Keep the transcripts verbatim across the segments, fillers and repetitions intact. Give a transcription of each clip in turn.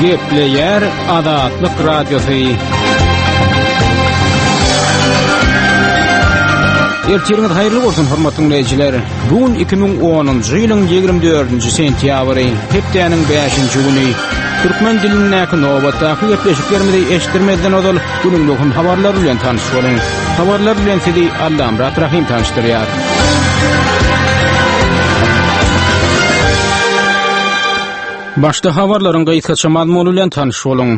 Gepleýär Azatlyk Radiosy. Ertiriňiz haýyrly bolsun, hormatly dinleýjiler. Bu gün iki müň onunjy ýylyň ýigrimi dördünji sentýabry, hepdäniň bäşinji güni. Türkmen dilindäki nobatdaky gepleşiklerimizi eşitdirmezden ozal günüň möhüm habarlary bilen tanyş boluň. Habarlar bilen sizi Allamyrat Rahym tanyşdyrýar. Başda habarlaryň gysgaça mazmuny bilen tanyş boluň.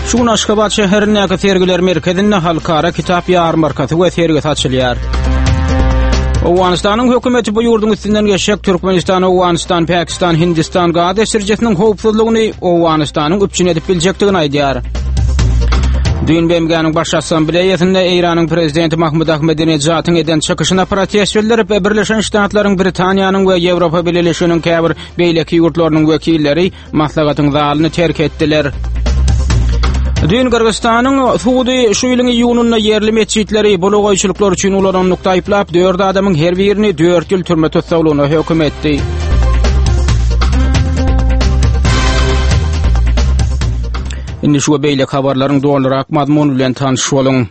Şu gün Aşgabat şäherindäki sergiler merkezinde halkara kitap ýarmarkasy we sergisi açylýar. Owganystanyň hökümeti bu ýurduň üstünden geçjek Türkmenistan, Owganystan, Pakistan, Hindistan gaz geçirijiesiniň howpsuzlygyny Owganystanyň üpjün edip biljekdigini aýdýar. Düýn B M G-niň Baş Assambleýasynda Eýranyň prezidenti Mahmud Ahmedinejadyň eden çykyşyna protest bildirip, Birleşen Ştatlaryň, Britaniýanyň we Ýewropa Bileleşiginiň käbir beýleki ýurtlarynyň wekilleri maslahatyň zalyny terk etdiler. Düýn Gyrgyzystanyň sudy şu ýylyň iýunynda ýerli metjitleri bulagaýçylyklar üçin ulananlykda aýyplap, dört adamyň her birini dört ýyl türme tussaglygyna höküm etdi. Indi şu we beýleki habarlaryň dolurak mazmuny bilen tanyş boluň.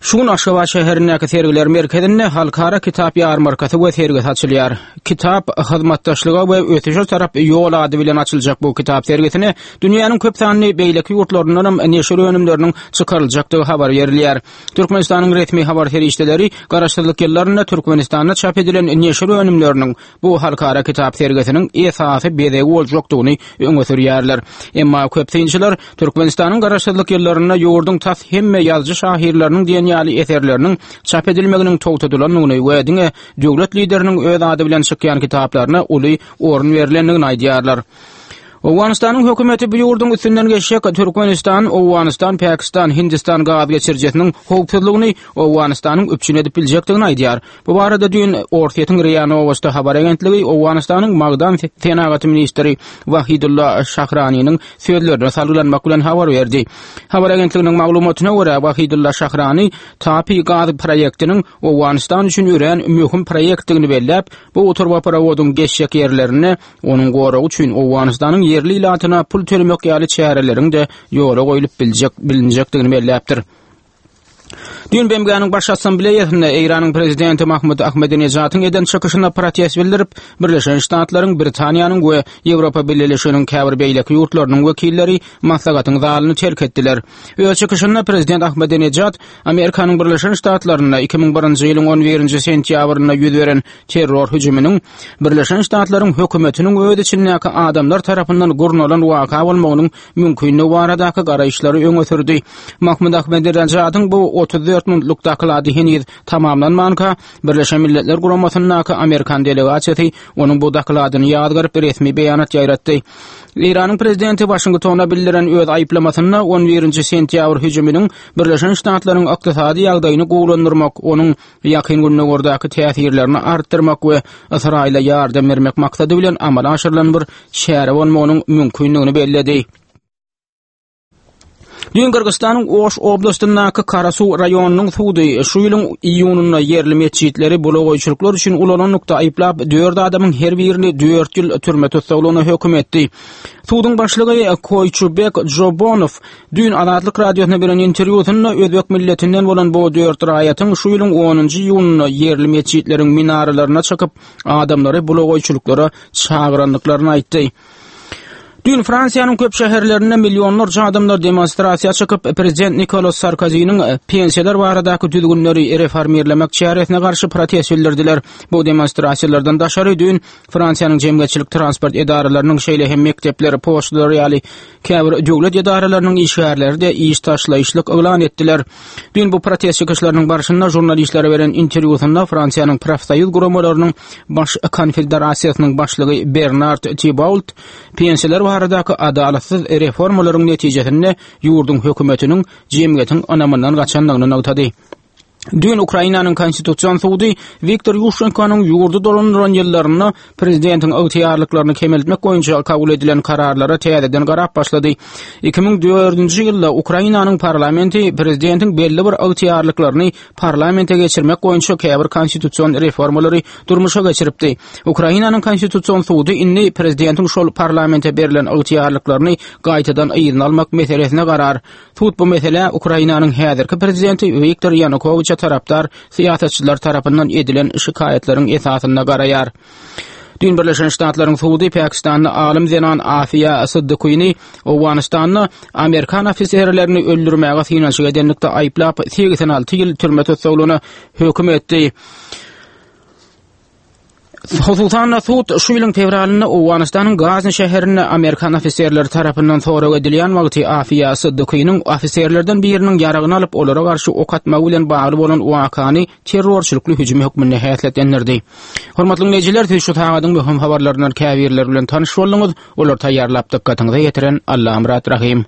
Şu gün Aşgabat şäherindäki sergiler merkezinde halkara kitap ýarmarkasy we sergisi açylýar. Kitap hyzmatdaşlyga we ösüşe tarap ýol ady bilen açyljak bu kitap sergisine dünýäniň köp sanly beýleki ýurtlaryndan hem neşir önümleriniň çykaryljakdygy habar berilýär. Türkmenistanyň resmi habar serişdeleri Garaşsyzlyk ýyllarynda Türkmenistanda çap edilen neşir önümleriniň bu halkara kitap sergisiniň esasy bezegi boljakdygyny öňe sürýärler. Emma köp synçylar Türkmenistanyň Garaşsyzlyk ýyllarynda ýurduň tas hemme ýazyjy şahyrlarynyň diýen ýaly eserleriniň çap edilmeginiň togtadylandygyny we diňe döwlet lideriniň öz ady bilen çykýan kitaplaryna uly orun berlendigini aýdýarlar. Owganystanyň hökümeti bu ýurduň üstünden geçjek Türkmenistan, Owganystan, Pakistan, Hindistan gaz geçirijesiniň howpsuzlygyny Owganystanyň üpjün edip biljekdigini aýdýar. Bu barada düýn Orsýetiň R I A Novosti habar agentligi Owganystanyň magdan senagaty ministri Wahidulla Şahraniniň sözlerine salgylanmak bilen habar berdi. Habar agentliginiň maglumatyna görä, Wahidulla Şahrani TAPI gaz proýektiniň Owganystan üçin örän möhüm proýektdigini belläp, bu turbaprowodyň geçjek ýerlerinde onuň goragy üçin Owganystanyň ýerli ilatyna pul tölemek ýaly çäreleriň de ýola goýlup biljek, bilinjekdigini belläpdir. Düýn B M G-niň Baş Assambleýasynda Eýranyň prezidenti Mahmud Ahmedinejadyň eden çykyşyna protest bildirip, Birleşen Ştatlaryň, Britaniýanyň we Ýewropa Bileleşiginiň käbir beýleki ýurtlarynyň wekilleri maslahatyň zalyny terk etdiler. Öz çykyşynda prezident Ahmedinejad Amerikanyň Birleşen Ştatlarynda iki müň birinji ýylyň on birinji sentýabrynda ýüz beren terror hüjüminiň Birleşen Ştatlaryň hökümetiniň öz içindäki adamlar tarapyndan gurnalan waka bolmagynyň mümkinligi baradaky garaýyşlary öňe sürdi. Mahmud Ahmedinejadyň bu otuz dört minutluk doklady heniz tamamlanmanka, Birleşen Milletler Guramasyndaky Amerikan delegasiýasy onuň bu dokladyny ýazgaryp resmi beýanat ýaýratdy. Eýranyň prezidenti Waşingtona bildiren öz aýyplamasynda on birinji sentýabr hüjüminiň Birleşen Ştatlaryň ykdysady ýagdaýyny gowulandyrmak, onuň ýakyn gündogardaki täsirlerini artdyrmak we Ysraýyla ýardam bermek maksady bilen amala aşyrylan bir çäre bolmagynyň mümkindigini belledi. Düýn Gyrgyzystanyň Oş oblastyndaky Karasuw raýonynyň sudy şu ýylyň iýunynda ýerli metjitleri bulagaýçylyklar üçin ulananlykda aýyplap, dört adamyň her birini dört ýyl türme tussaglygyna höküm etdi. Suduň başlygy Koýçubek Jobonow düýn Azatlyk Radiosyna beren interwýusynda özbek milletinden bolan bu dört raýatyň şu ýylyň onunjy iýunynda ýerli metjitleriň minaralaryna çykyp adamlary bulagaýçylyklara çagyrandyklaryny aýtdy. Düýn Fransiýanyň köp şäherlerinde millionlarça adamlar demonstrasiýa çykyp, prezident Nikolas Sarkoziniň pensiýalar baradaky düzgünleri reformirlemek çäresine garşy protest bildirdiler. Bu demonstrasiýalardan daşary düýn Fransiýanyň jemgyýetçilik transport edaralarynyň, şeýle hem mekdepler, poçtalar ýaly käbir döwlet edaralarynyň işgärleri de iş taşlaýyşlyk yglan etdiler. Düýn bu protest çykyşlarynyň barşynda žurnalistlere beren interwýusynda Fransiýanyň profsoýuz guramalarynyň baş konfederasiýasynyň başlygy Bernard Thibault pensiýalar baradaky adalatsyz reformalaryň netijesinde ýurduň hökümetiniň jemgyýetiň ynamyndan gaçandygyny nygtady. Düýn Ukrainanyň Konstitusion sudy Wiktor Ýuşenkonyň ýurdy dolandyran ýyllarynda prezidentiň ygtyýarlyklaryny kemeltmek boýunça kabul edilen kararlara täzeden garap başlady. Iki müň dördünji ýylda Ukrainanyň parlamenti prezidentiň belli bir ygtyýarlyklaryny parlamente geçirmek boýunça käbir konstitusion reformalary durmuşa geçiripdi. Ukrainanyň Konstitusion sudy indi prezidentiň şol parlamente berlen ygtyýarlyklaryny gaýtadan yzyna almak meselesine garar. Sud bu meselä Ukrainanyň häzirki prezidenti Wiktor Ýanukowiçe tarapdar syýasatçylar tarapyndan edilen şikaýatlaryň esasynda garaýar. Düýn Birleşen Ştatlaryň sudy Pakistanda alym zenan Afiýa Siddiquini Owganystanda amerikan ofiserlerini öldürmäge synanyşyk edenlikde aýyplap segsen alty ýyl türme tussaglygyna höküm etdi. Hususan-da, sud şu ýylyň fewralynda Owganystanyň Gazni şäherinde amerikan ofiserleri tarapyndan sorag edilýän wagty Afiýa Siddiquiniň ofiserlerden biriniň ýaragyny alyp, olara garşy ok atmagy bilen bagly bolan wakany terrorçylykly hüjüm hökmünde häsiýetlendirdi. Hormatly diňleýjiler, siz şu sagadyň möhüm habarlaryndan käbirleri bilen tanyş bolduňyz. Olary taýýarlap dykgatyňyza ýetiren Allamyrat Rahym.